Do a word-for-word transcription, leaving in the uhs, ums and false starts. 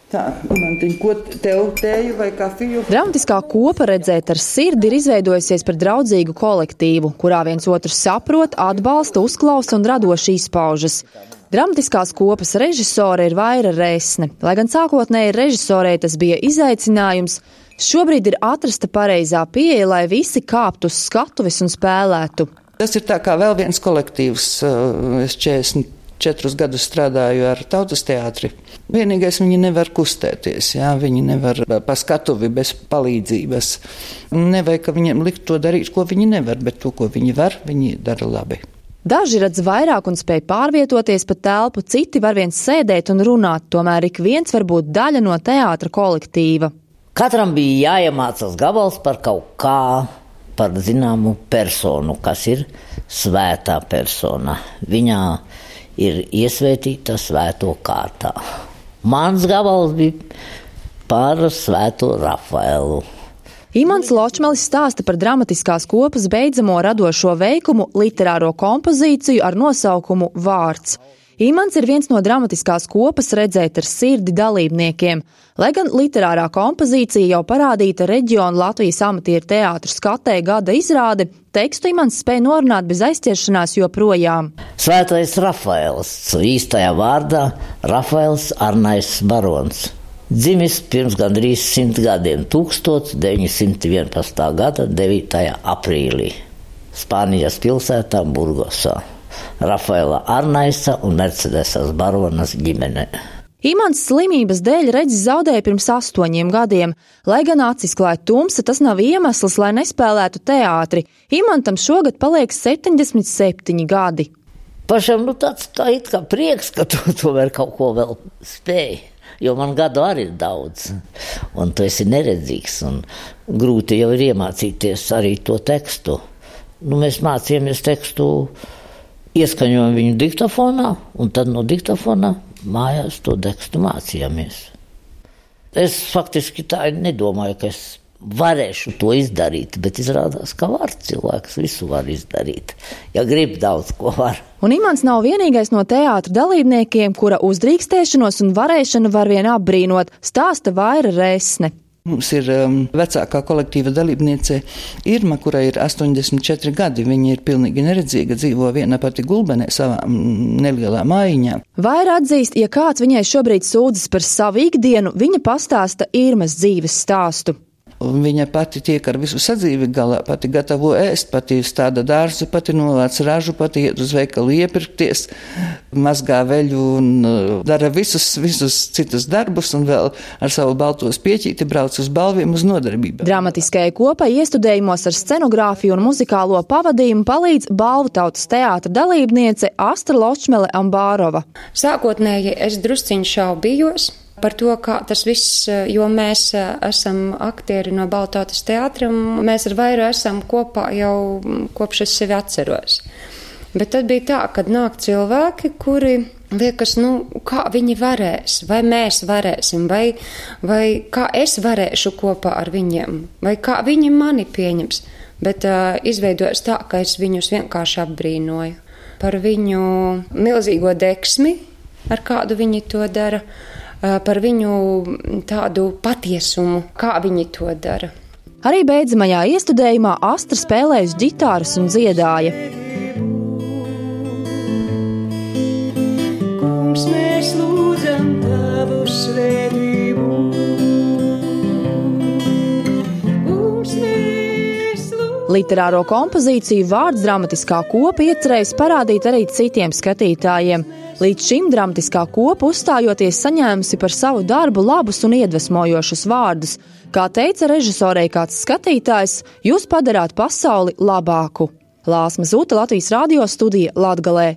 Tā, Imantiņ, ko tev tēju vai kafiju? Dramatiskā kopa Redzēt ar sirdi ir izveidojusies par draudzīgu kolektīvu, kurā viens otru saprot, atbalsta, uzklausa un radoši izpaužas. Dramatiskās kopas režisore ir Vaira Resne. Lai gan sākotnēji režisorei tas bija izaicinājums, šobrīd ir atrasta pareizā pieeja, lai visi kāptu uz skatuves un spēlētu. Tas ir tā kā vēl viens kolektīvs. Es četrdesmit četrus gadus strādāju ar Tautas teātri. Vienīgais, viņi nevar kustēties, jā, viņi nevar pa skatuvi bez palīdzības. Nevajag, ka viņiem likt to darīt, ko viņi nevar, bet to, ko viņi var, viņi dara labi. Daži redz vairāk un spēj pārvietoties pa telpu, citi var viens sēdēt un runāt, tomēr ik viens var būt daļa no teātra kolektīva. Katram bija jāiemācās gabals par kaut kā, par zināmu personu, kas ir svētā persona. Viņā ir iesvētīta svēto kārtā. Mans gabals bija par svēto Rafaelu. Imants Ločmelis stāsta par dramatiskās kopas beidzamo radošo veikumu literāro kompozīciju ar nosaukumu Vārds. Imants ir viens no dramatiskās kopas Redzēt ar sirdi dalībniekiem. Lai gan literārā kompozīcija jau parādīta reģionu Latvijas amatieru teātru skatē gada izrāde, tekstu Imants spēja norunāt bez aizķeršanās joprojām. Svētais Rafaels, īstajā vārdā Rafaels Arnais Barons. Dzimis pirms gandrīz simt gadiem, tūkstoš deviņi simti vienpadsmitā gada devītajā aprīlī, Spānijas pilsētā Burgosā. Rafaela Arnaisa un Mercedesas Baronas ģimene. Imants slimības dēļ redzi zaudēja pirms astoņiem gadiem. Lai gan acis klāja tumsa, tas nav iemesls, lai nespēlētu teātri. Imantam šogad paliek septiņdesmit septiņi gadi. Pašam nu tāds kā it kā prieks, ka tu tomēr kaut ko vēl spēj. Jo man gadu arī ir daudz, un tu esi neredzīgs, un grūti jau ir iemācīties arī to tekstu. Nu, mēs mācījāmies tekstu, ieskaņojam viņu diktafonā, un tad no diktafonā mājās to tekstu mācījāmies. Es faktiski tā nedomāju, ka es varēšu to izdarīt, bet izrādās, ka var cilvēks visu var izdarīt, ja grib daudz ko var. Un Imants nav vienīgais no teātra dalībniekiem, kura uzdrīkstēšanos un varēšanu var vien apbrīnot, stāsta Vaira Resne. Mums ir um, vecākā kolektīva dalībniece Irma, kurai ir astoņdesmit četri gadi. Viņa ir pilnīgi neredzīga, dzīvo viena pati Gulbenē savā nelielā mājiņā. Vaira atzīst, ja kāds viņai šobrīd sūdzas par savu ikdienu, viņa pastāsta Irmas dzīves stāstu. Un viņa pati tiek ar visu sadzīvi galā, pati gatavo ēst, pati stāda dārzu, pati novāc ražu, pati iet uz veikalu iepirkties, mazgā veļu un dara visus, visus citus darbus un vēl ar savu balto spieķīti brauc uz balviem uz nodarbību. Dramatiskajai kopai iestudējumos ar scenogrāfiju un muzikālo pavadījumu palīdz Balvu Tautas teātra dalībniece Astra Ločmele Ambārova. Sākotnēji es drusciņ šaubījos par to, kā tas viss, jo mēs esam aktieri no Balvu Tautas teātra, un mēs ar Vairu esam kopā jau kopš es sevi atceros. Bet tad bija tā, kad nāk cilvēki, kuri liekas, nu, kā viņi varēs, vai mēs varēsim, vai, vai kā es varēšu kopā ar viņiem, vai kā viņi mani pieņems. Bet uh, izveidojas tā, ka es viņus vienkārši apbrīnoju par viņu milzīgo deksmi, ar kādu viņi to dara, par viņu tādu patiesumu, kā viņi to dara. Arī beidzamajā iestudējumā Astra spēlēja uz ģitāras un dziedāja. Kungs, mēs lūdzam tavu svētību. Kungs, mēs lūdzam. Literāro kompozīciju Vārds dramatiskā kopa iecerējis parādīt arī citiem skatītājiem. Līdz šim dramatiskā kopa uzstājoties saņēmusi par savu darbu labus un iedvesmojošus vārdus. Kā teica režisorei kāds skatītājs, jūs padarāt pasauli labāku. Lāsma Zūta, Latvijas radio studija Latgalē.